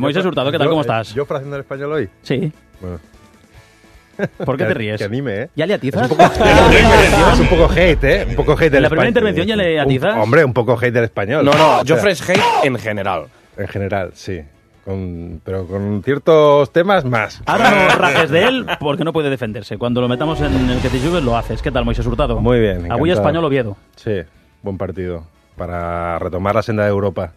Moisés Hurtado, ¿qué tal? ¿Cómo estás? ¿Yo haciendo el español hoy? Sí. Bueno. ¿Por qué te ríes? Que anime, ¿eh? ¿Ya le atizas? Es un poco hate, ¿eh? Un poco hate del ¿En la primera español. intervención ya le atizas? Hombre, un poco hate del español. No, O sea, Joffre es hate en general. En general, sí. Pero con ciertos temas más. Ahora no rajes de él porque no puede defenderse. Cuando lo metamos en el que te jugues lo haces. ¿Qué tal, Moisés Hurtado? Muy bien. Avui encantado. Espanyol Oviedo. Sí, buen partido. Para retomar la senda de Europa.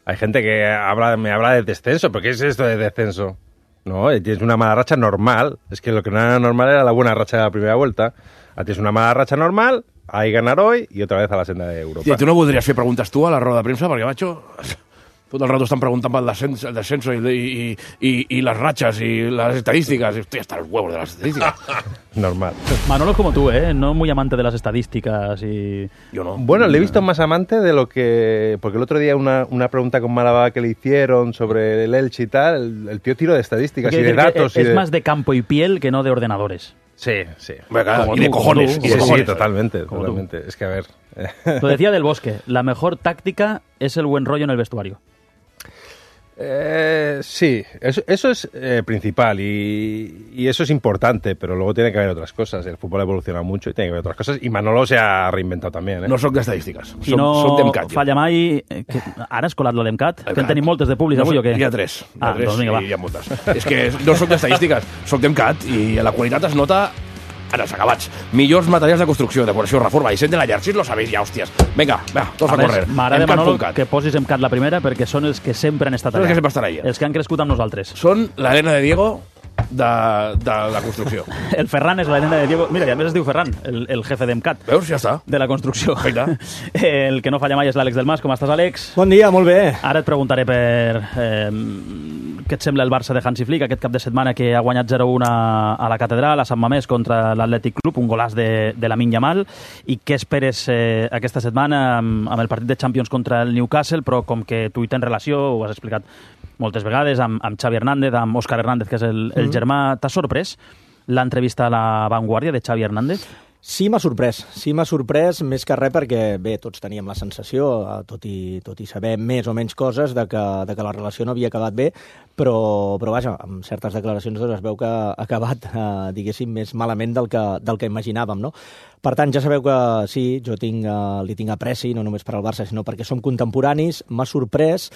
Hay gente que me habla de descenso. ¿Pero qué es esto de descenso? No, tienes una mala racha normal. Es que lo que no era normal era la buena racha de la primera vuelta. Tienes una mala racha normal, ahí ganar hoy y otra vez a la senda de Europa. I tu no voldries fer preguntes tu a la roda de premsa? Perquè, macho, tot el rato estan preguntant pel descenso y las rachas y las estadísticas. Estoy hasta los huevos de las estadísticas. Normal. Manolo es como tú, ¿eh? No muy amante de las estadísticas y... Yo no. Bueno, le he visto más amante de lo que... Porque el otro día una pregunta con Málaga que le hicieron sobre el Elche y tal, el tío tiro de estadísticas y de datos. Es más de campo y piel que no de ordenadores. Sí, sí. Venga, Como y de tú, cojones. como Y de Sí, cojones. sí, totalmente. Como totalmente. Es que, a ver... Lo decía Del Bosque, la mejor táctica es el buen rollo en el vestuario. Sí, eso es principal y eso es importante, pero luego tiene que haber otras cosas. El fútbol ha evolucionado mucho y tiene que haber otras cosas. Y Manolo se ha reinventado también, ¿eh? No soc d'estadístiques. I no Soc d'emcat. falla mai... Ara has colat lo l'Emcat? Que en tenim moltes de públics avui o què? Hi ha tres. Doncs vinga, va. Hi ha moltes. És que no soc d'estadístiques, soc d'emcat i la qualitat es nota en els acabats. Millors materials de construcció, decoració, reforma, disseny de la llar. Si lo sabéis ja, hòsties. Vinga, tots a córrer. M'agrada, Manolo, Emcat.cat. que posis Emcat la primera perquè són els que sempre han estat Són els allà. que sempre estan allà. Els que han crescut amb nosaltres. Són l'Helena de Diego de la construcció. El Ferran és la nena de Diego... Mira, i a més es diu Ferran, el jefe d'Emcat. Veus? Ja està. De la construcció. Perfecte. El que no falla mai és l'Àlex del Mas. Com estàs, Àlex? Bon dia, molt bé. Ara et preguntaré per... què et sembla el Barça de Hansi Flick aquest cap de setmana que ha guanyat 0-1 a la Catedral, a Sant Mamés, contra l'Atlètic Club, un golàs de Lamine Yamal, i què esperes aquesta setmana amb el partit de Champions contra el Newcastle, però com que tu hi tens relació, ho has explicat moltes vegades, amb Xavi Hernández, amb Òscar Hernández, que és el germà, t'ha sorprès l'entrevista a La Vanguardia de Xavi Hernández? Sí, m'ha sorprès, més que res perquè, bé, tots teníem la sensació, tot i saber més o menys coses, de que la relació no havia acabat bé, però vaja, amb certes declaracions doncs es veu que ha acabat, diguéssim, més malament del que imaginàvem, no? Per tant, ja sabeu que sí, jo li tinc apreci, no només per al Barça, sinó perquè som contemporanis, m'ha sorprès.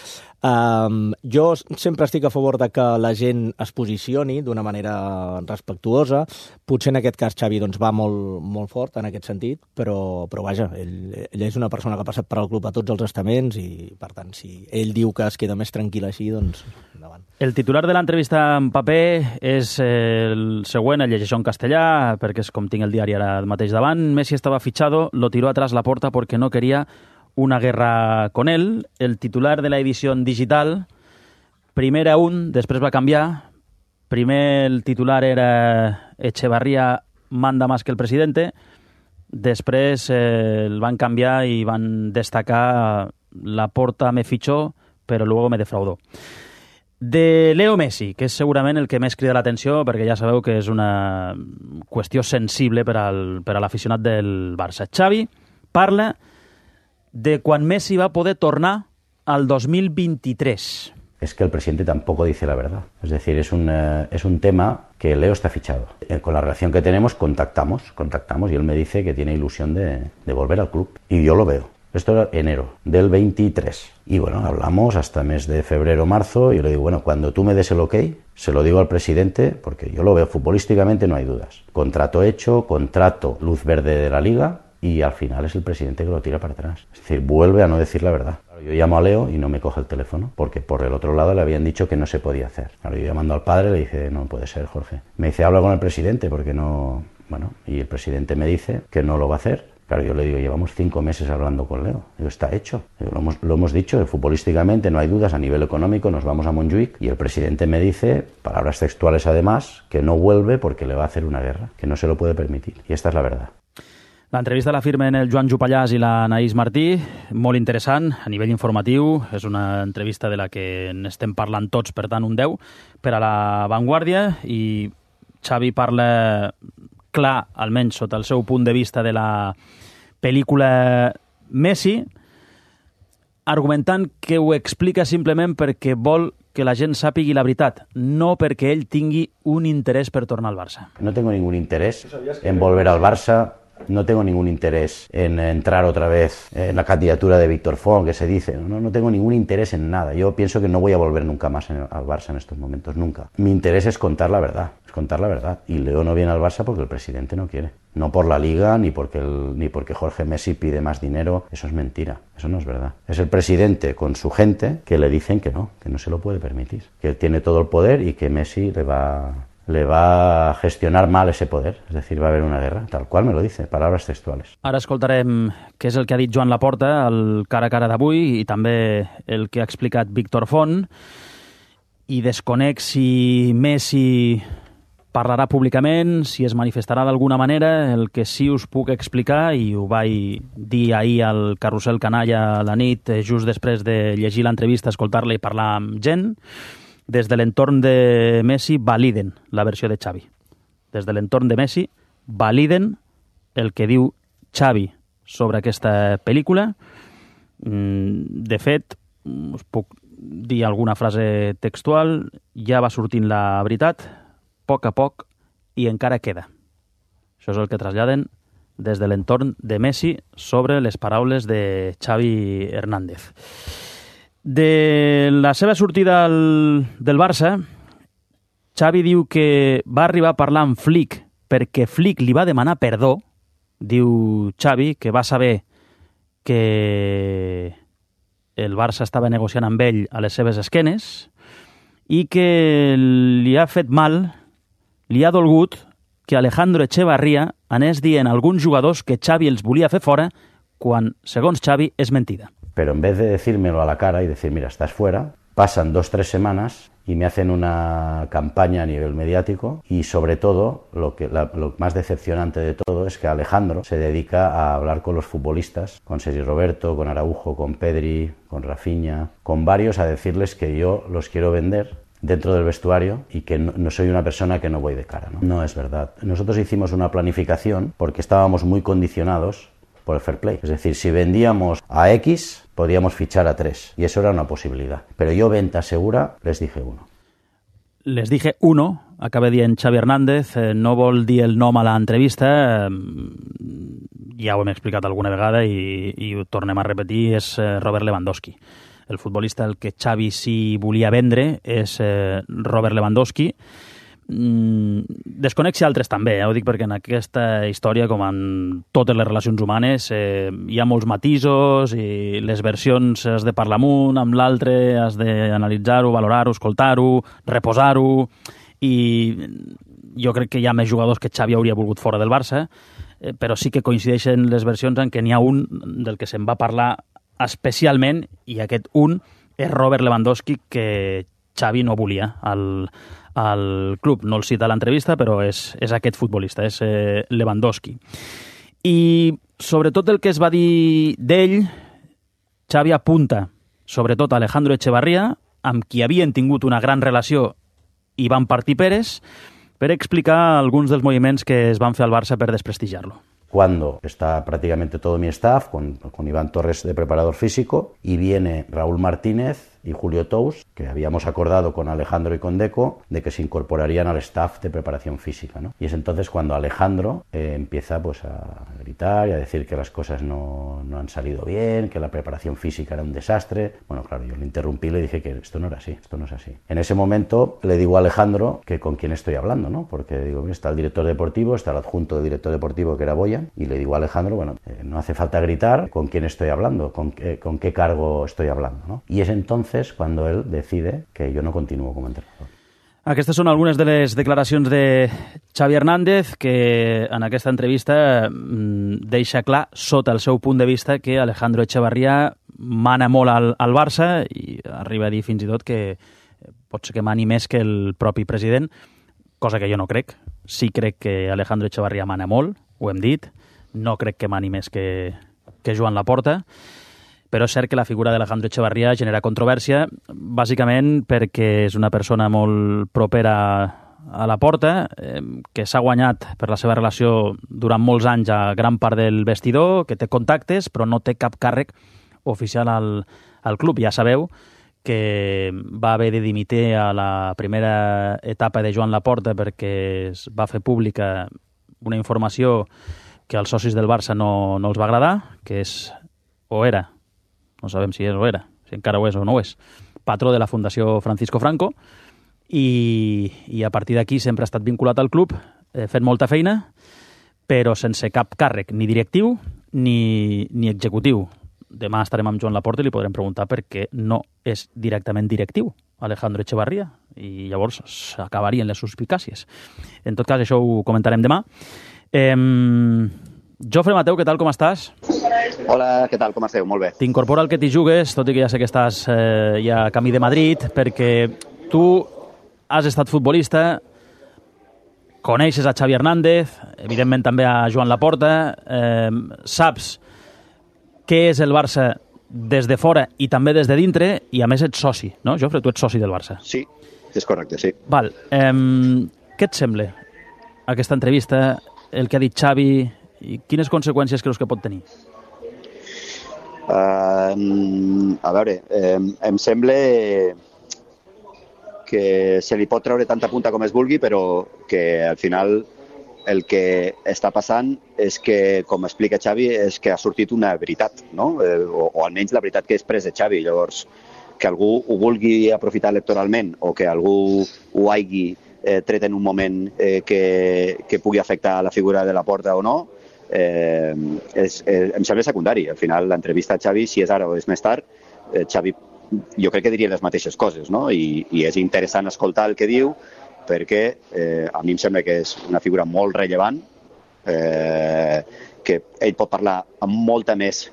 Jo sempre estic a favor de que la gent es posicioni d'una manera respectuosa. Potser en aquest cas Xavi doncs, va molt fort en aquest sentit, però vaja, ell és una persona que ha passat per al club a tots els estaments i, per tant, si ell diu que es queda més tranquil així, doncs endavant. El titular de l'entrevista en paper és el següent, el llegeixo en castellà, perquè és com tinc el diari ara mateix davant. Messi estaba fichado, lo tiró atrás la porta porque no quería una guerra con él. El titular de la edición digital, primer era després va canviar. Primer el titular era Echevarría manda más que el presidente. Després el van canviar i van destacar la porta me fichó, pero luego me defraudó. De Leo Messi, que és segurament el que més crida l'atenció, perquè ja sabeu que és una qüestió sensible per a l'aficionat del Barça. Xavi parla de quan Messi va poder tornar al 2023. Es que el presidente tampoco dice la verdad. Es decir, es un tema que Leo está fichado. Con la relación que tenemos contactamos y él me dice que tiene ilusión de volver al club. Y yo lo veo. Esto era enero del 23. Y bueno, hablamos hasta mes de febrero, marzo, y yo le digo, bueno, cuando tú me des el ok, se lo digo al presidente, porque yo lo veo futbolísticamente, no hay dudas. Contrato hecho, contrato luz verde de la Liga, y al final es el presidente que lo tira para atrás. Es decir, vuelve a no decir la verdad. Claro, yo llamo a Leo y no me coge el teléfono, porque por el otro lado le habían dicho que no se podía hacer. Claro, yo llamando al padre le dije, no puede ser, Jorge. Me dice, habla con el presidente, porque no... Bueno, y el presidente me dice que no lo va a hacer. Claro, yo le digo, llevamos 5 meses hablando con Leo. Digo, está hecho. Digo, lo hemos dicho, futbolísticamente no hay dudas, a nivel económico nos vamos a Montjuïc y el presidente me dice, palabras textuales además, que no vuelve porque le va a hacer una guerra, que no se lo puede permitir. Y esta es la verdad. L'entrevista la firmen el Joan Jupallàs i la Anaïs Martí, molt interessant a nivell informatiu, és una entrevista de la que n'estem parlant tots, per tant un 10 per a la Vanguardia, i Xavi parla clar, almenys sota el seu punt de vista, de la pel·lícula Messi, argumentant que ho explica simplement perquè vol que la gent sàpigui la veritat, no perquè ell tingui un interès per tornar al Barça. No tengo ningún interés en volver al Barça. No tengo ningún interés en entrar otra vez en la candidatura de Víctor Font, que se dice. No tengo ningún interés en nada. Yo pienso que no voy a volver nunca más al Barça en estos momentos, nunca. Mi interés es contar la verdad, Y Leo no viene al Barça porque el presidente no quiere. No por la Liga, ni porque Jorge Messi pide más dinero. Eso es mentira, eso no es verdad. Es el presidente con su gente que le dicen que no se lo puede permitir. Que tiene todo el poder y que Messi le va a gestionar mal ese poder, es decir, va a haber una guerra, tal cual me lo dice, palabras textuales. Ara escoltarem què és el que ha dit Joan Laporta, el cara a cara d'avui, i també el que ha explicat Víctor Font, i desconec si Messi parlarà públicament, si es manifestarà d'alguna manera. El que sí us puc explicar, i ho vaig dir ahir al Carrusel Canalla a la nit, just després de llegir l'entrevista, escoltar-la i parlar amb gent, des de l'entorn de Messi validen la versió de Xavi. Des de l'entorn de Messi validen el que diu Xavi sobre aquesta pel·lícula. De fet, us puc dir alguna frase textual, ja va sortint la veritat, a poc, i encara queda. Això és el que traslladen des de l'entorn de Messi sobre les paraules de Xavi Hernández. De la seva sortida del Barça, Xavi diu que va arribar a parlar amb Flick perquè Flick li va demanar perdó. Diu Xavi que va saber que el Barça estava negociant amb ell a les seves esquenes i que li ha fet mal, li ha dolgut que Alejandro Echevarría anés dient a alguns jugadors que Xavi els volia fer fora quan, segons Xavi, és mentida. Pero en vez de decírmelo a la cara y decir, mira, estás fuera, pasan 2-3 semanas y me hacen una campaña a nivel mediático y sobre todo, lo más decepcionante de todo es que Alejandro se dedica a hablar con los futbolistas, con Sergi Roberto, con Araujo, con Pedri, con Rafinha, con varios, a decirles que yo los quiero vender dentro del vestuario y que no soy una persona que no voy de cara. No es verdad. Nosotros hicimos una planificación porque estábamos muy condicionados por el fair play. Es decir, si vendíamos a X, podíamos fichar a 3. Y eso era una posibilidad. Pero yo, venta segura, les dije 1. Les dije 1, acaba dient Xavi Hernández, no vol dir el nom a l'entrevista, ja ho hem explicat alguna vegada i ho tornem a repetir, és Robert Lewandowski. El futbolista el que Xavi sí volia vendre és Robert Lewandowski. Desconec si altres també, ho dic perquè en aquesta història, com en totes les relacions humanes, hi ha molts matisos i les versions has de parlar amb un, amb l'altre, has d'analitzar-ho, valorar-ho, escoltar-ho, reposar-ho, i jo crec que hi ha més jugadors que Xavi hauria volgut fora del Barça, però sí que coincideixen les versions en què n'hi ha un del que se'n va parlar especialment, i aquest un és Robert Lewandowski, que Xavi no volia al club. No el cita a l'entrevista, però és aquest futbolista, és Lewandowski. I sobretot el que es va dir d'ell, Xavi apunta sobretot a Alejandro Echevarría, amb qui havien tingut una gran relació i van partir peres, per explicar alguns dels moviments que es van fer al Barça per desprestigiar-lo. Cuando está prácticamente todo mi staff, con Iván Torres de preparador físico, y viene Raúl Martínez y Julio Tous, que habíamos acordado con Alejandro y con Deco, de que se incorporarían al staff de preparación física, ¿no? Y es entonces cuando Alejandro empieza pues a gritar y a decir que las cosas no han salido bien, que la preparación física era un desastre. Bueno, claro, yo le interrumpí y le dije que esto no era así, esto no es así. En ese momento le digo a Alejandro que con quién estoy hablando, ¿no? Porque digo, está el director deportivo, está el adjunto del director deportivo, que era Boyan, y le digo a Alejandro, bueno, no hace falta gritar con quién estoy hablando, con qué cargo estoy hablando, ¿no? Y es entonces cuando él decide que yo no continúo como entrenador. Aquestes són algunes de les declaracions de Xavi Hernández, que en aquesta entrevista deixa clar, sota el seu punt de vista, que Alejandro Echevarría mana molt al Barça i arriba a dir fins i tot que pot ser que mani més que el propi president, cosa que jo no crec. Sí crec que Alejandro Echevarría mana molt, ho hem dit, no crec que mani més que Joan Laporta, però és cert que la figura d'Alejandro Echevarría genera controvèrsia, bàsicament perquè és una persona molt propera a Laporta, que s'ha guanyat per la seva relació durant molts anys a gran part del vestidor, que té contactes, però no té cap càrrec oficial al club. Ja sabeu que va haver de dimitir a la primera etapa de Joan Laporta perquè es va fer pública una informació que als socis del Barça no els va agradar, que és, o era, no sabem si és o era, si encara ho és o no ho és, patró de la Fundació Francisco Franco, i a partir d'aquí sempre ha estat vinculat al club, fent molta feina, però sense cap càrrec, ni directiu ni executiu. Demà estarem amb Joan Laporta i li podrem preguntar per què no és directament directiu Alejandro Echevarría, i llavors s'acabarien les suspicàcies. En tot cas, això ho comentarem demà. Jofre Mateu, què tal, com estàs? Hola, què tal, com esteu? Molt bé. T'incorpora el que t'hi jugues, tot i que ja sé que estàs ja a camí de Madrid, perquè tu has estat futbolista, coneixes a Xavi Hernández, evidentment també a Joan Laporta, saps què és el Barça des de fora i també des de dintre, i a més ets soci, no, Jofre? Tu ets soci del Barça. Sí, és correcte, sí. Val. Què et sembla aquesta entrevista, el que ha dit Xavi, i quines conseqüències creus que pot tenir? A veure, em sembla que se li pot treure tanta punta com es vulgui, però que al final el que està passant és que, com explica Xavi, és que ha sortit una veritat, no? O almenys la veritat que és pres de Xavi. Llavors, que algú ho vulgui aprofitar electoralment o que algú ho hagi tret en un moment que pugui afectar la figura de Laporta o no, em sembla secundari. Al final, l'entrevista a Xavi, si és ara o és més tard, Xavi jo crec que diria les mateixes coses, no? I és interessant escoltar el que diu, perquè a mi em sembla que és una figura molt rellevant, que ell pot parlar amb molta més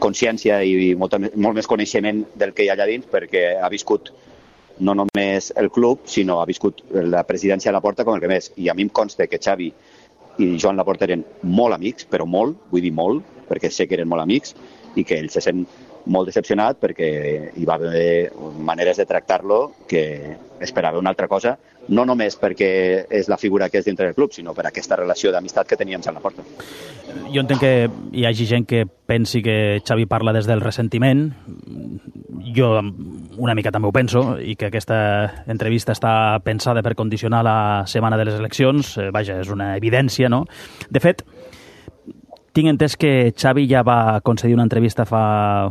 consciència i molt més coneixement del que hi ha allà dins, perquè ha viscut no només el club, sinó ha viscut la presidència de Laporta com el que més. I a mi em consta que Xavi i Joan Laporta eren molt amics, però molt, vull dir molt, perquè sé que eren molt amics, i que ell se sent molt decepcionat perquè hi va haver maneres de tractar-lo que esperava una altra cosa, no només perquè és la figura que és dintre del club, sinó per aquesta relació d'amistat que teníem amb Laporta. Jo entenc que hi hagi gent que pensi que Xavi parla des del ressentiment. Jo una mica també ho penso, i que aquesta entrevista està pensada per condicionar la setmana de les eleccions. Vaja, és una evidència, no? De fet, tinc entès que Xavi ja va concedir una entrevista fa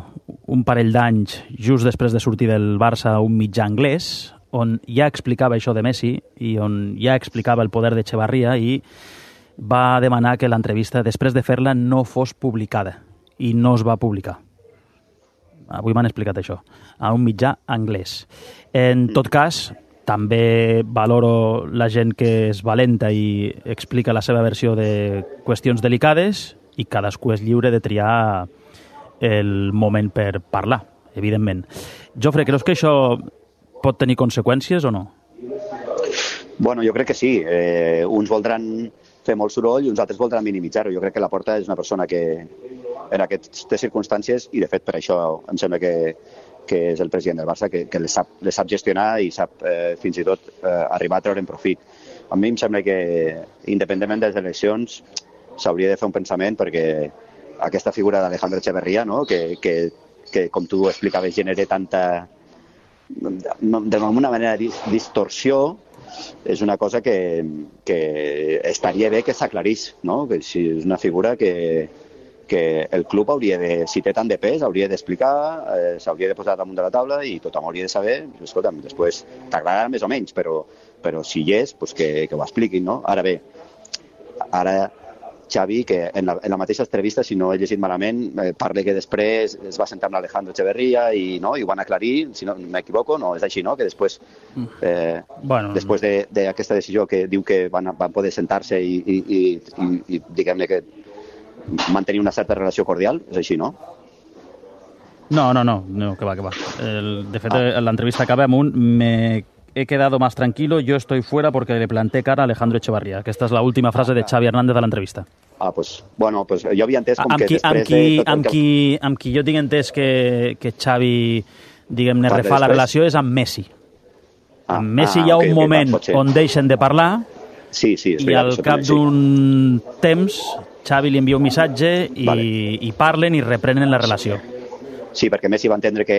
un parell d'anys, just després de sortir del Barça, a un mitjà anglès, on ja explicava això de Messi i on ja explicava el poder d'Echevarría, i va demanar que l'entrevista, després de fer-la, no fos publicada, i no es va publicar. Avui m'han explicat això, a un mitjà anglès. En tot cas, també valoro la gent que és valenta i explica la seva versió de qüestions delicades, i cadascú és lliure de triar el moment per parlar, evidentment. Jofre, creus que això pot tenir conseqüències o no? Bueno, jo crec que sí. Uns voldran fer molt soroll i uns altres voldran minimitzar-ho. Jo crec que Laporta és una persona que en aquestes circumstàncies, i de fet per això em sembla que és el president del Barça, que les sap gestionar i sap fins i tot arribar a treure'n profit. A mi em sembla que, independentment de les eleccions, s'hauria de fer un pensament, perquè aquesta figura d'Alejandro Echevarría, no? que com tu explicaves, genera tanta, d'alguna manera, distorsió, és una cosa que estaria bé que s'aclarís, no? Que si és una figura que el club hauria de, si té tant de pes, hauria d'explicar, s'hauria de posar damunt de la taula i tothom hauria de saber, escolta'm, després t'agradarà més o menys, però si hi és, doncs que ho expliquin, no? Ara bé, Xavi, que en la mateixa entrevista, si no he llegit malament, parla que després es va sentar amb l'Alejandro Echevarría i ho van aclarir, si no m'equivoco, no és així, no? Que després, després d'aquesta decisió que diu que van poder sentar-se i diguem-ne que mantenir una certa relació cordial, és així, no? No, que va. De fet, l'entrevista acaba amb me he quedado más tranquilo, yo estoy fuera porque le planté cara a Alejandro Echevarría. Aquesta és l'última frase de Xavi Hernández de l'entrevista. Pues jo havia entès com que després amb qui jo tinc entès que Xavi, diguem-ne, refà la relació és amb Messi. Amb Messi hi ha un moment on deixen de parlar i al cap d'un temps Xavi li envia un missatge i parlen i reprenen la relació. Sí, perquè Messi va entendre que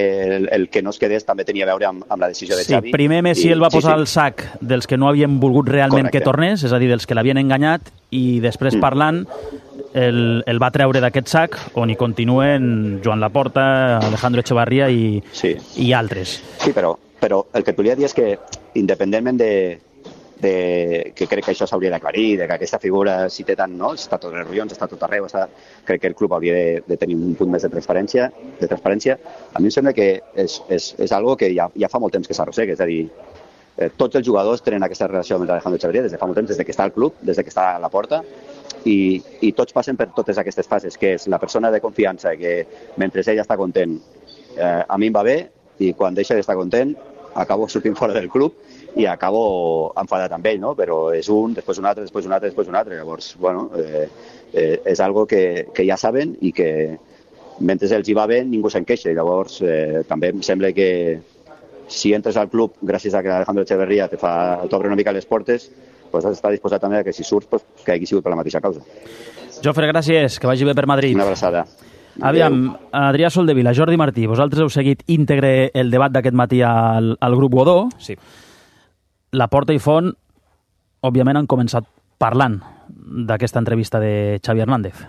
el que no es quedés també tenia a veure amb la decisió de Xavi. Sí, primer Messi el va posar al sac dels que no havien volgut realment que tornés, és a dir, dels que l'havien enganyat, i després parlant el va treure d'aquest sac, on hi continuen Joan Laporta, Alejandro Echevarría i altres. Sí, però el que et volia dir és que, independentment que crec que això s'hauria d'aclarir, que aquesta figura, si té tant, no? Està tot els ronyons, està tot arreu, crec que el club hauria de tenir un punt més de transparència. A mi em sembla que és algo que ja fa molt temps que s'arrossega, és a dir, tots els jugadors tenen aquesta relació amb Alejandro Echevarría des de fa molt temps, des que està al club, des que està a la porta, i tots passen per totes aquestes fases, que és la persona de confiança que mentre ella està content a mi em va bé, i quan deixa d'estar content acabo sortint fora del club i acabo enfadat amb ell, no? Però és un, després un altre, després un altre, després un altre. Llavors, bueno, és algo que ja saben i que mentre els hi va bé ningú se'n queixa. Llavors, també em sembla que si entres al club gràcies a que Alejandro Echevarría t'obre una mica les portes, pues has d'estar disposat també a que si surts, pues, que hagi sigut per la mateixa causa. Jofre, gràcies, que vagi bé per Madrid. Una abraçada. Aviam, Adrià Soldevila, Jordi Martí, vosaltres heu seguit íntegre el debat d'aquest matí al grup Godó. Sí. Laporta i Font, òbviament, han començat parlant d'aquesta entrevista de Xavi Hernández.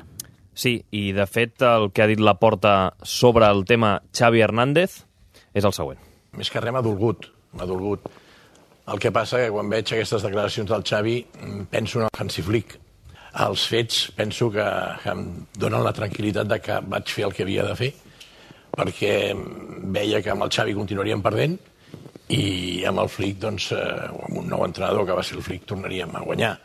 Sí, i de fet el que ha dit Laporta sobre el tema Xavi Hernández és el següent. Més que res m'ha dolgut. El que passa que quan veig aquestes declaracions del Xavi penso en el Hansi Flick. Els fets penso que em donen la tranquil·litat de que vaig fer el que havia de fer, perquè veia que amb el Xavi continuaríem perdent i amb el Flick, doncs, amb un nou entrenador que va ser el Flick, tornaríem a guanyar.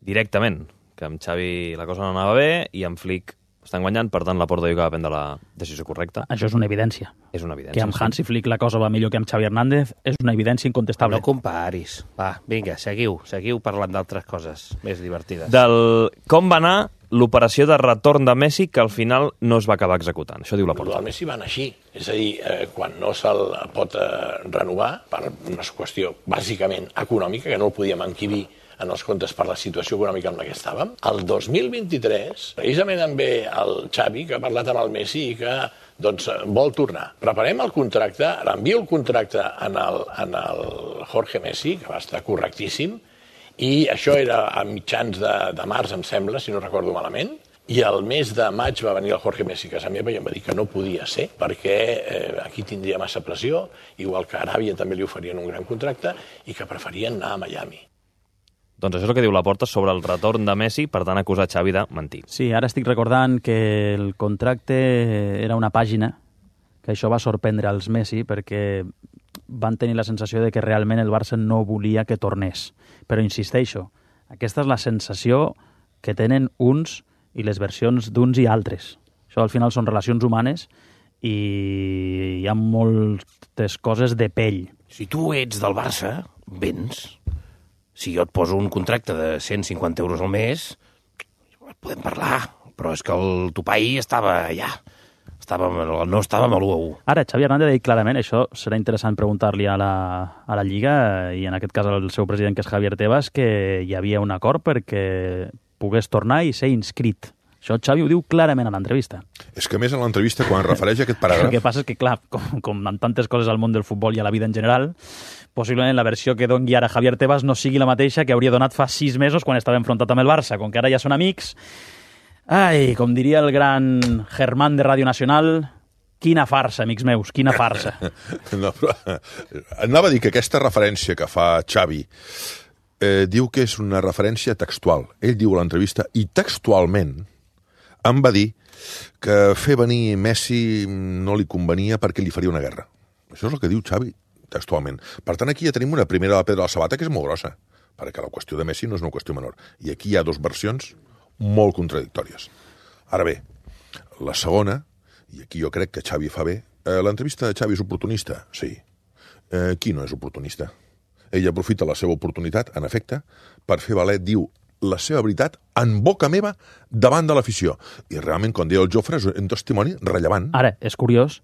Directament, que amb Xavi la cosa no anava bé i amb Flick estan guanyant, per tant Laporta diu que va prendre la decisió correcta. Això és una evidència. És una evidència. Que amb Hansi Flick la cosa va millor que amb Xavi Hernández és una evidència incontestable. No comparis. Va, vinga, seguiu parlant d'altres coses més divertides. Del com va anar l'operació de retorn de Messi, que al final no es va acabar executant. Això diu Laporta. El Messi va anar així. És a dir, quan no se'l pot renovar, per una qüestió bàsicament econòmica, que no el podíem enquibir en els comptes per la situació econòmica en la que estàvem. El 2023, precisament amb el Xavi, que ha parlat amb el Messi i que vol tornar. Preparem el contracte, envio el contracte en el Jorge Messi, que va estar correctíssim, i això era a mitjans de març, em sembla, si no recordo malament, i el mes de maig va venir el Jorge Messi a casa meva i em va dir que no podia ser perquè aquí tindria massa pressió, igual que a Aràbia també li oferien un gran contracte i que preferien anar a Miami. Doncs això és el que diu Laporta sobre el retorn de Messi, per tant acusar Xavi de mentir. Sí, ara estic recordant que el contracte era una pàgina, que això va sorprendre als Messi perquè van tenir la sensació de que realment el Barça no volia que tornés. Però insisteixo, aquesta és la sensació que tenen uns i les versions d'uns i altres. Això al final són relacions humanes i hi ha moltes coses de pell. Si tu ets del Barça, vens. Si jo et poso un contracte de 150 euros al mes, podem parlar, però és que el topall estava allà. No estava amb l'1-1. Ara, Xavi Hernández ha dit clarament, això serà interessant preguntar-li a la Lliga, i en aquest cas al seu president, que és Javier Tebas, que hi havia un acord perquè pogués tornar i ser inscrit. Això Xavi ho diu clarament a l'entrevista. És que, més, en l'entrevista, quan refereix a aquest paràgraf... El que passa és que, clar, com en tantes coses al món del futbol i a la vida en general, possiblement la versió que doni ara Javier Tebas no sigui la mateixa que hauria donat fa 6 mesos quan estava enfrontat amb el Barça. Com que ara ja són amics... Ai, com diria el gran Germán de Ràdio Nacional, quina farsa, amics meus, quina farsa. No, però anava a dir que aquesta referència que fa Xavi diu que és una referència textual. Ell diu a l'entrevista, i textualment em va dir que fer venir Messi no li convenia perquè li faria una guerra. Això és el que diu Xavi, textualment. Per tant, aquí ja tenim una primera pedra a la sabata que és molt grossa, perquè la qüestió de Messi no és una qüestió menor. I aquí hi ha 2 versions molt contradictòries. Ara bé, la segona, i aquí jo crec que Xavi fa bé, l'entrevista de Xavi és oportunista? Sí. Qui no és oportunista? Ell aprofita la seva oportunitat, en efecte, per fer valer, diu, la seva veritat en boca meva davant de l'afició. I realment, com deia el Jofre, és un testimoni rellevant. Ara, és curiós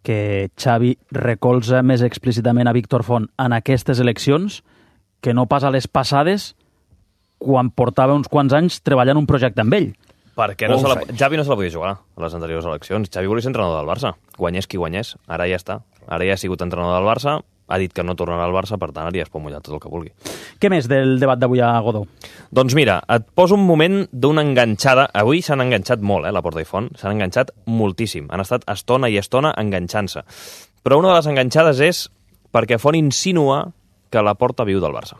que Xavi recolza més explícitament a Víctor Font en aquestes eleccions que no pas a les passades, quan portava uns quants anys treballant un projecte amb ell. Perquè Xavi no se la podia jugar a les anteriors eleccions. Xavi volia ser entrenador del Barça. Guanyés qui guanyés. Ara ja està. Ara ja ha sigut entrenador del Barça, ha dit que no tornarà al Barça, per tant, ara ja es pot mullar tot el que vulgui. Què més del debat d'avui a Godó? Doncs mira, et poso un moment d'una enganxada. Avui s'han enganxat molt, la Porta i Font. S'han enganxat moltíssim. Han estat estona i estona enganxant-se. Però una de les enganxades és perquè Font insinua que la Porta viu del Barça.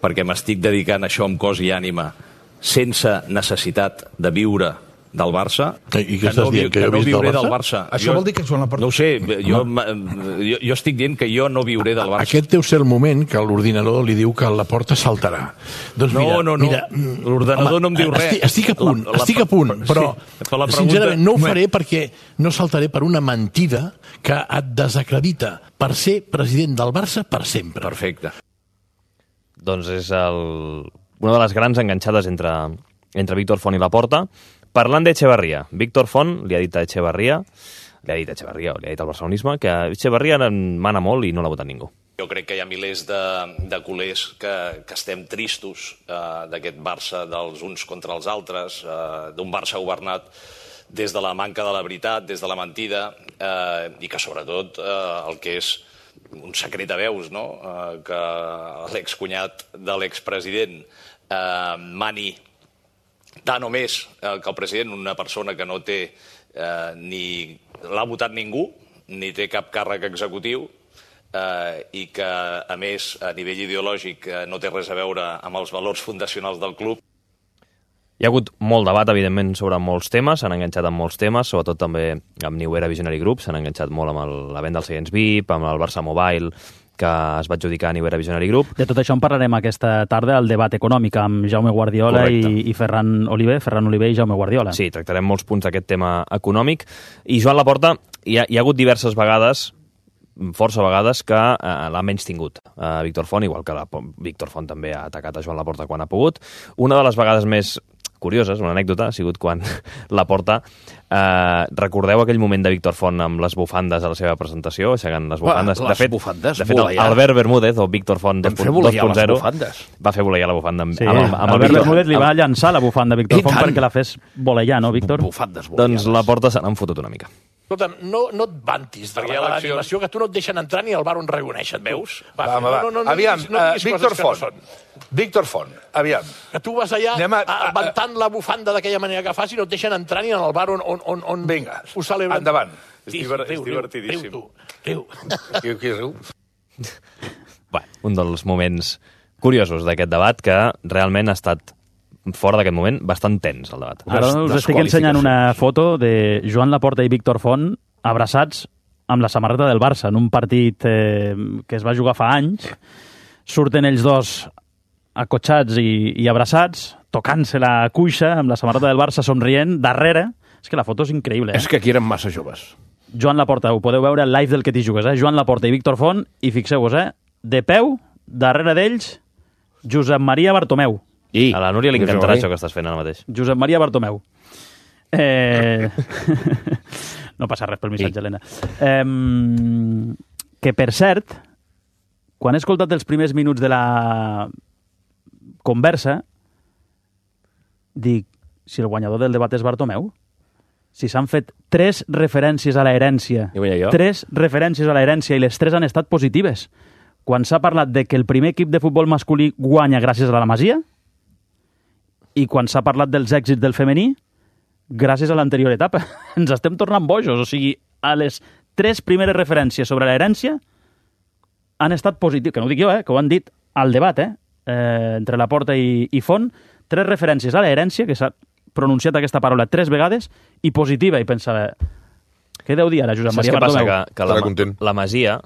Perquè m'estic dedicant a això amb cos i ànima sense necessitat de viure del Barça. I què estàs dient? Que jo viuré del Barça? Això vol dir que Joan Laporta... No ho sé, jo estic dient que jo no viuré del Barça. Aquest deu ser el moment que l'ordinador li diu que Laporta saltarà. Doncs mira, l'ordinador no em diu res. Estic a punt, però sincerament no ho faré perquè no saltaré per una mentida que et desacredita per ser president del Barça per sempre. Perfecte. Doncs és una de les grans enganxades entre Víctor Font i Laporta. Parlant d'Echeverría, Víctor Font li ha dit a Echeverría, o li ha dit al barcelonisme, que Echeverría mana molt i no l'ha votat ningú. Jo crec que hi ha milers de culers que estem tristos d'aquest Barça dels uns contra els altres, d'un Barça governat des de la manca de la veritat, des de la mentida, i que sobretot el que és un secret a veus, no? Que l'excunyat de l'expresident mani tant o més que el president, una persona que no té ni l'ha votat ningú, ni té cap càrrec executiu, i que, a més, a nivell ideològic no té res a veure amb els valors fundacionals del club. Hi ha hagut molt debat, evidentment, sobre molts temes, s'han enganxat amb molts temes, sobretot també amb New Era Visionary Group, s'han enganxat molt amb la venda dels seients VIP, amb el Barça Mobile, que es va adjudicar a New Era Visionary Group. De tot això en parlarem aquesta tarda al debat econòmic amb Jaume Guardiola i Ferran Oliver i Jaume Guardiola. Sí, tractarem molts punts d'aquest tema econòmic. I Joan Laporta, hi ha hagut diverses vegades, força vegades, que l'ha menys tingut a Víctor Font, igual que Víctor Font també ha atacat a Joan Laporta quan ha pogut. Una de les vegades més curioses, una anècdota, ha sigut quan Laporta... recordeu aquell moment de Víctor Font amb les bufandes a la seva presentació, aixecant les bufandes. De fet, Albert Bermúdez, o Víctor Font 2.0, va fer voleiar la bufanda amb Albert Bermúdez li va llançar la bufanda a Víctor Font perquè la fes voleiar, no, Víctor? Doncs Laporta se n'han fotut una mica. Escolta'm, no et vantis de l'animació, que tu no et deixen entrar ni al bar on reuneixen, veus? Aviam, Víctor Font, aviam. Que tu vas allà avantant la bufanda d'aquella manera que fas i no et deixen entrar ni al bar on vinga, ho celebren. Endavant. És divertidíssim. Riu. Qui riu? Un dels moments curiosos d'aquest debat, que realment ha estat fora d'aquest moment, bastant tens, el debat. Ara us estic ensenyant una foto de Joan Laporta i Víctor Font abraçats amb la samarreta del Barça en un partit que es va jugar fa anys. Surten ells dos acotxats i abraçats, tocant-se la cuixa amb la samarreta del Barça, somrient, darrere. És que la foto és increïble. És que aquí eren massa joves. Joan Laporta, ho podeu veure al live del Que t'hi jugues, Joan Laporta i Víctor Font, i fixeu-vos, de peu, darrere d'ells, Josep Maria Bartomeu. A la Núria li encantarà això que estàs fent ara mateix. Josep Maria Bartomeu. No passa res pel missatge, Helena. Que, per cert, quan he escoltat els primers minuts de la conversa, dic, si el guanyador del debat és Bartomeu, si s'han fet 3 referències a l'herència, 3 referències a l'herència i les 3 han estat positives. Quan s'ha parlat de que el primer equip de futbol masculí guanya gràcies a la Masia, i quan s'ha parlat dels èxits del femení, gràcies a l'anterior etapa. Ens estem tornant bojos. O sigui, a les 3 primeres referències sobre l'herència han estat positius. Que no ho dic jo, que ho han dit al debat, entre Laporta i Font. 3 referències a l'herència, que s'ha pronunciat aquesta paraula 3 vegades, i positiva. I pensava, què deu dir ara Josep Maria Bartomeu? Saps què passa? Que la Masia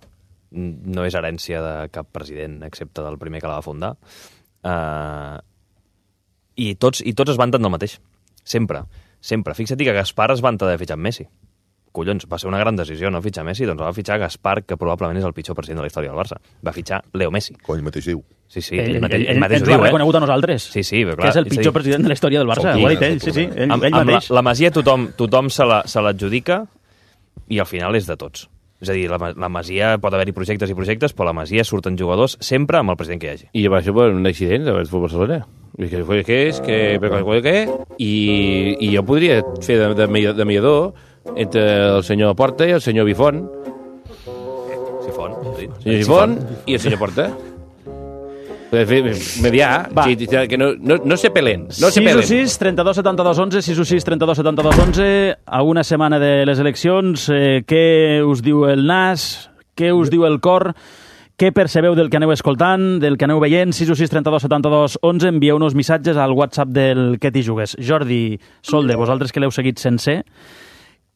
no és herència de cap president, excepte del primer que la va fundar. I tots es vanten del mateix. Sempre. Fixa't que Gaspar es vanta de fitxar Messi. Collons, va ser una gran decisió, no fitxar Messi, doncs va fitxar Gaspar, que probablement és el pitjor president de la història del Barça. Va fitxar Leo Messi. Ell mateix diu. Sí, ell mateix ho diu, reconegut a nosaltres. Sí, però clar. Que és el pitjor president de la història del Barça. Ho ha dit ell, sí, ell mateix. La Masia tothom se l'adjudica i al final és de tots. És a dir, la Masia pot haver-hi projectes i projectes, però la Masia surten jugadors sempre amb el president que hi hagi. I va ser per un accident del Futbol Barcelona. I jo podria fer de mediador entre el senyor Porta i el senyor Bifont. Sifont, senyor Sifont i el senyor Porta. Mediar, que no se pelen. No se pelen. 6 6 32 72 11, 6 6 32 72 11, a una setmana de les eleccions, què us diu el nas, què us diu el cor, què percebeu del que aneu escoltant, del que aneu veient? 6 6 32 72 11, envieu-nos missatges al WhatsApp del Que t'hi jugues. Jordi, Solde, vosaltres que l'heu seguit sencer,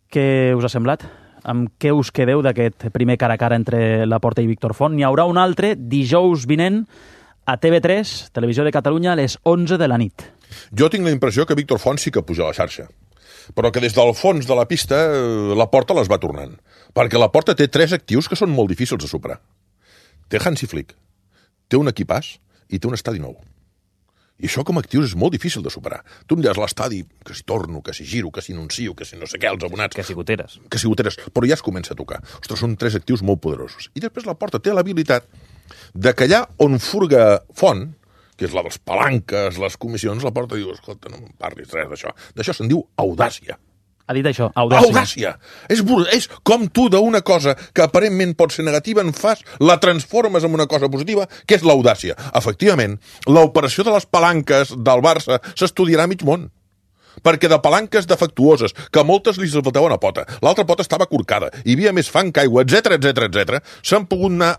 què us ha semblat? Amb què us quedeu d'aquest primer cara a cara entre Laporta i Víctor Font? N'hi haurà un altre dijous vinent a TV3, Televisió de Catalunya, a les 11 de la nit. Jo tinc la impressió que Víctor Font sí que puja a la xarxa, però que des del fons de la pista Laporta les va tornant, perquè Laporta té 3 actius que són molt difícils de superar. Té Hansi Flick, té un equipàs i té un estadi nou. I això com a actius és molt difícil de superar. Tu em diràs l'estadi, que si torno, que si giro, que si anuncio, que si no sé què, els abonats... Que si goteres. Que si goteres, però ja es comença a tocar. Ostres, són 3 actius molt poderosos. I després Laporta té l'habilitat de que allà on furga Font, que és la dels palanques, les comissions, Laporta diu, escolta, no em parlis res d'això. D'això se'n diu audàcia. Ha dit això, audàcia. Audàcia! És com tu d'una cosa que aparentment pot ser negativa en fas, la transformes en una cosa positiva, que és l'audàcia. Efectivament, l'operació de les palanques del Barça s'estudiarà a mig món. Perquè de palanques defectuoses, que moltes li faltava una pota, l'altra pota estava corcada, hi havia més fang que aigua, etc, s'han pogut anar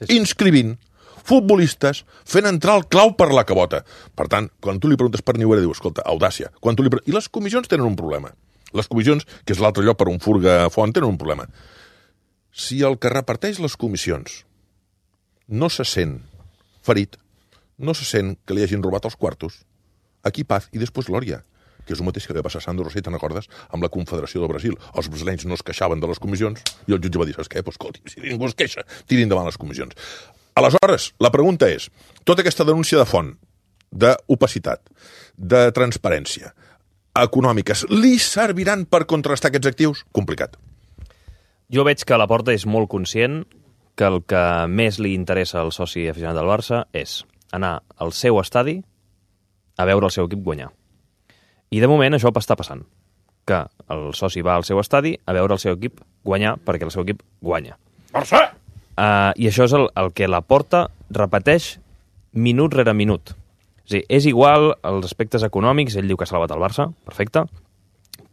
inscrivint futbolistes fent entrar el clau per la cabota. Per tant, quan tu li preguntes per Niuera, diu, escolta, audàcia. I les comissions tenen un problema. Les comissions, que és l'altre lloc per on furga Font, tenen un problema. Si el que reparteix les comissions no se sent ferit, no se sent que li hagin robat els quartos, aquí paz i després glòria, que és el mateix que li va passar a Sandro Rosell, te'n recordes? Amb la Confederació del Brasil. Els brasilenys no es queixaven de les comissions i el jutge va dir, saps què? Pues, escolti, si ningú es queixa, tiri endavant les comissions. Aleshores, la pregunta és, tota aquesta denúncia de Font, d'opacitat, de transparència, econòmiques, li serviran per contrastar aquests actius? Complicat. Jo veig que Laporta és molt conscient que el que més li interessa al soci aficionat del Barça és anar al seu estadi a veure el seu equip guanyar. I de moment això està passant, que el soci va al seu estadi a veure el seu equip guanyar perquè el seu equip guanya. Barça! I això és el que Laporta repeteix minut rere minut. És a dir, és igual els aspectes econòmics, ell diu que ha salvat el Barça, perfecte,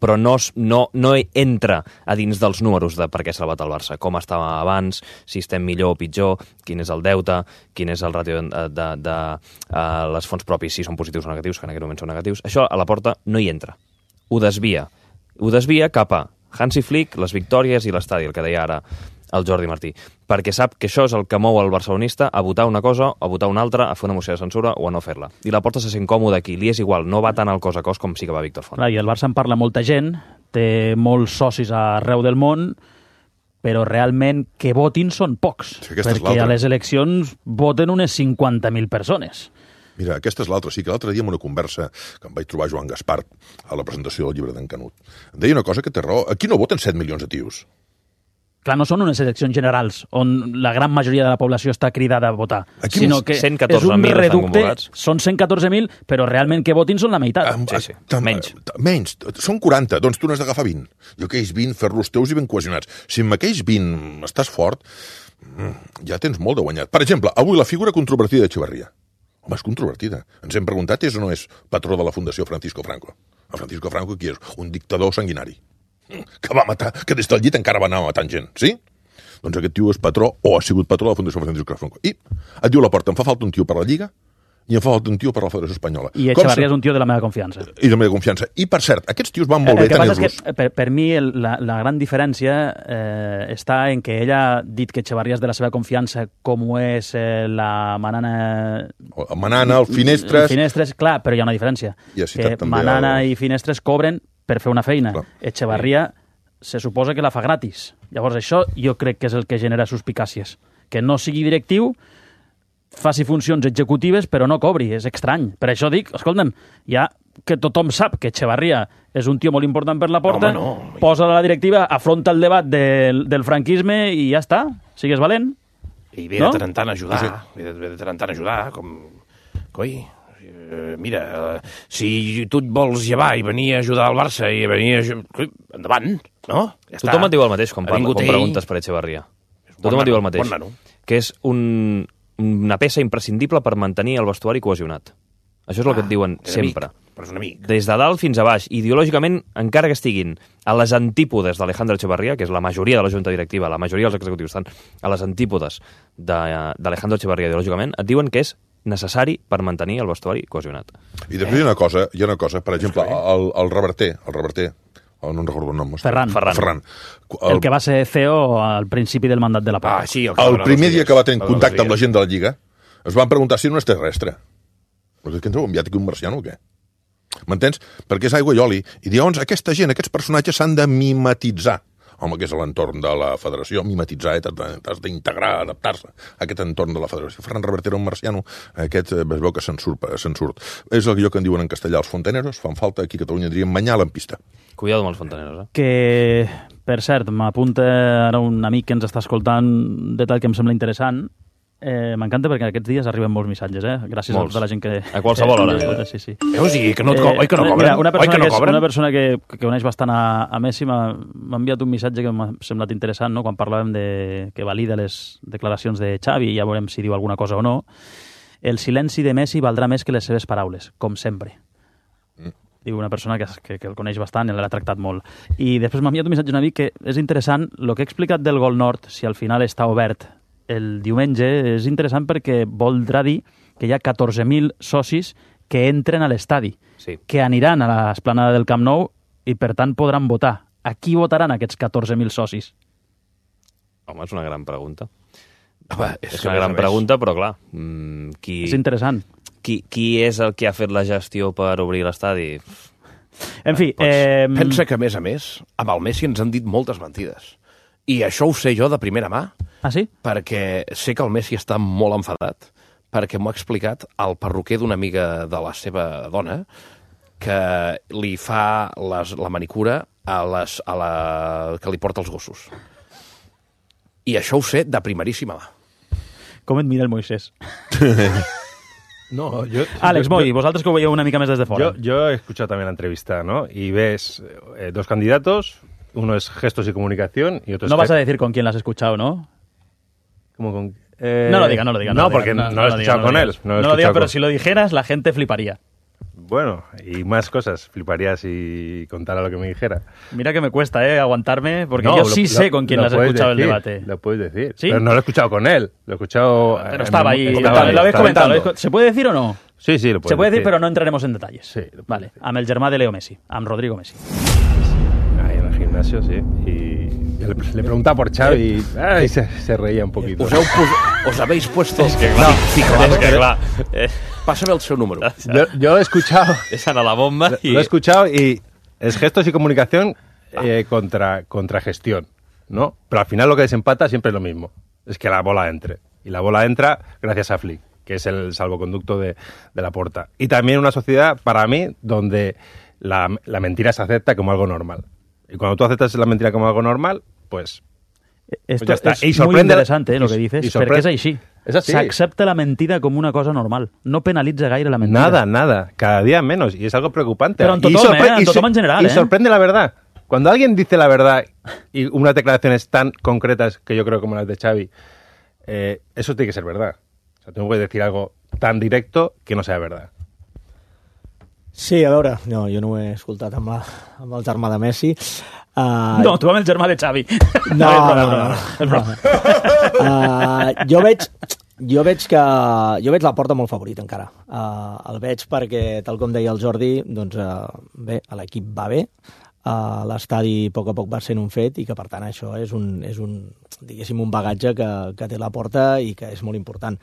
però no entra a dins dels números de per què ha salvat el Barça, com estava abans, si estem millor o pitjor, quin és el deute, quin és el ràtio de les fonts propis, si són positius o negatius, que en aquest moment són negatius. Això a Laporta no hi entra. Ho desvia. Ho desvia cap a Hansi Flick, les victòries i l'estadi, el que deia ara el Jordi Martí, perquè sap que això és el que mou el barcelonista a votar una cosa, a votar una altra, a fer una moció de censura o a no fer-la. I Laporta se sent còmode aquí, li és igual, no va tant al cos a cos com sí que va Víctor Font. I el Barça en parla molta gent, té molts socis arreu del món, però realment que votin són pocs, sí, perquè a les eleccions voten unes 50.000 persones. Mira, aquesta és l'altra. Sí que l'altre dia en una conversa que em vaig trobar Joan Gaspar a la presentació del llibre d'en Canut, deia una cosa que té raó. Aquí no voten 7 milions de tios. Clar, no són unes eleccions generals on la gran majoria de la població està cridada a votar, aquí sinó que és un reducte, són 114.000, però realment que votin són la meitat. Sí. Menys. Són 40, doncs tu n'has d'agafar 20. I aquells 20 fer-los teus i ben cohesionats. Si amb aquells 20 estàs fort, ja tens molt de guanyat. Per exemple, avui la figura controvertida d'Echeverría. Home, és controvertida. Ens hem preguntat és o no és patró de la Fundació Francisco Franco. El Francisco Franco qui és? Un dictador sanguinari que va matar, que des del llit encara va anar matant gent, sí? Doncs aquest tio és patró, o ha sigut patró de la Fundació Francisco Franco. I et diu Laporta, em fa falta un tio per la Lliga i em fa falta un tio per la Federació Espanyola. I Echeverría és un tio de la meva confiança. I de la meva confiança. I, per cert, aquests tios van molt bé tenir-los. El que passa és que, per mi, la gran diferència està en que ella ha dit que Echeverría és de la seva confiança, com ho és la Manana... Manana, el Finestres... Finestres, clar, però hi ha una diferència. Que Manana i Finestres cobren per fer una feina. Clar. Echeverría se suposa que la fa gratis. Llavors això jo crec que és el que genera suspicàcies. Que no sigui directiu, faci funcions executives però no cobri, és estrany. Per això dic, escolta'm, hi ha que tothom sap que Echevarría és un tio molt important per la Porta, posa la directiva, afronta el debat del franquisme i ja està, sigues valent. I ve de tant en tant a ajudar, ve de tant en tant a ajudar, com... Coi, mira, si tu et vols llevar i venir a ajudar al Barça i venir a... Endavant, no? Ja Tothom et diu el mateix quan preguntes per Echevarría. Tothom et diu el mateix. Que és una peça imprescindible per mantenir el vestuari cohesionat. Això és el que et diuen sempre. Però és un amic. Des de dalt fins a baix, ideològicament, encara que estiguin a les antípodes d'Alejandro Echevarría, que és la majoria de la junta directiva, la majoria dels executius estan a les antípodes d'Alejandro Echevarría ideològicament, et diuen que és necessari per mantenir el vestuari cohesionat. I després hi ha una cosa, per exemple, el Reverter, no em recordo el nom. Ferran. El que va ser CEO al principi del mandat de la Porta. El primer dia que va tenir contacte amb la gent de la Lliga, es van preguntar si era un extraterrestre. Però què ens heu enviat aquí un marciano o què? M'entens? Perquè és aigua i oli. I llavors aquesta gent, aquests personatges s'han de mimetitzar. Home, que és l'entorn de la federació, mimetitzar, t'has d'integrar, adaptar-se a aquest entorn de la federació. Ferran Reverter era un marciano, aquest es veu que se'n surt. És el que en diuen en castellà els fontaneros, fan falta, aquí a Catalunya diríem manyal en pista. Cuidado amb els fontaneros, Que, per cert, m'apunta ara un amic que ens està escoltant un detall que em sembla interessant. M'encanta perquè aquests dies arriben molts missatges, gràcies a tota la gent que... A qualsevol hora. Sí. Veus, i que no cobren? Mira, una persona que coneix bastant a Messi m'ha enviat un missatge que m'ha semblat interessant, no? Quan parlàvem que valida les declaracions de Xavi, ja veurem si diu alguna cosa o no. El silenci de Messi valdrà més que les seves paraules, com sempre. Diu una persona que el coneix bastant i l'ha tractat molt. I després m'ha enviat un missatge una mica que és interessant, el que he explicat del Gol Nord, si al final està obert el diumenge, és interessant perquè voldrà dir que hi ha 14.000 socis que entren a l'estadi, que aniran a l'esplanada del Camp Nou i, per tant, podran votar. A qui votaran aquests 14.000 socis? Home, és una gran pregunta. És una gran pregunta, però clar... És interessant. Qui és el que ha fet la gestió per obrir l'estadi? En fi... Pensa que, a més, amb el Messi ens han dit moltes mentides. I això ho sé jo de primera mà. Ah, sí? Perquè sé que el Messi està molt enfadat, perquè m'ho ha explicat el perruquer d'una amiga de la seva dona, que li fa la manicura que li porta els gossos. I això ho sé de primeríssima mà. Com et mira el Moisés? No, Àlex Moy, vosaltres que ho veieu una mica més des de fora. Yo he escuchado también la entrevista, ¿no? Y ves dos candidatos, uno es gestos y comunicación y otro es... No vas a decir con quién la has escuchado, ¿no? ¿Cómo con...? No lo diga. No, porque no lo he escuchado con él. No lo diga, pero si lo dijeras, la gente fliparía. Bueno, y más cosas. Fliparía si contara lo que me dijera. Mira que me cuesta, aguantarme, porque yo sí sé con quién has escuchado el debate. Lo puedes decir. ¿Sí? Pero no lo he escuchado con él. Lo he escuchado... Pero estaba ahí. Lo habéis comentado. ¿Se puede decir o no? Sí, lo puedes Se puede decir, pero no entraremos en detalles. Sí. Vale. Amb el germà de Leo Messi, amb Rodrigo Messi. Ahí en el gimnasio, sí. Y le preguntaba por Xavi y se reía un poquito. Os habéis puesto... Es que clar. Pásame el seu número. Yo he escuchado... Esa era la bomba. Lo he escuchado y es gestos y comunicación contra gestión, ¿no? Pero al final lo que desempata siempre es lo mismo. Es que la bola entre. Y la bola entra gracias a Flick, que es el salvoconducto de la Porta. Y también una sociedad, para mí, donde la mentira se acepta como algo normal. Y cuando tú aceptas la mentira como algo normal, pues Esto ya está. es muy interesante lo que dices, perquè és així. És així. S'accepta la mentida com una cosa normal. No penalitza gaire la mentida. Nada. Cada día menos. Y es algo preocupante. Pero en tothom en general. Y sorprende la verdad. Cuando alguien dice la verdad y unas declaraciones tan concretas que yo creo como las de Xavi, eso tiene que ser verdad. O sea, tú no puedes decir algo tan directo que no sea verdad. Sí, a veure, no, jo no ho he escoltat amb el germà de Messi. No, tu amb el germà de Xavi. No. Jo veig la Porta molt favorit encara. El veig perquè, tal com deia el Jordi, doncs bé, l'equip va bé, l'estadi a poc va sent un fet i que per tant això és un diguéssim, un bagatge que té la Porta i que és molt important.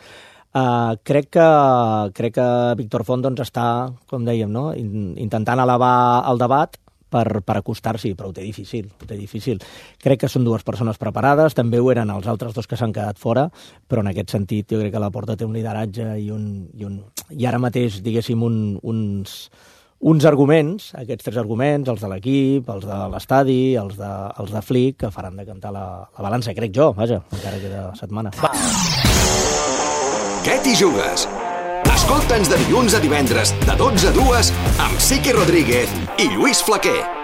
Crec que Víctor Font doncs, està, com dèiem, no? Intentant elevar el debat per acostar-s'hi, però ho té difícil. Crec que són dues persones preparades, també ho eren els altres dos que s'han quedat fora, però en aquest sentit jo crec que la Porta té un lideratge i ara mateix, diguéssim, uns arguments, aquests 3 arguments, els de l'equip, els de l'estadi, els de Flick, que faran decantar la balança, crec jo, vaja, encara queda setmana. Què t'hi jugues? Escolta'ns de dilluns a divendres, de 12 a 2, amb Siqui Rodríguez i Lluís Flaquer.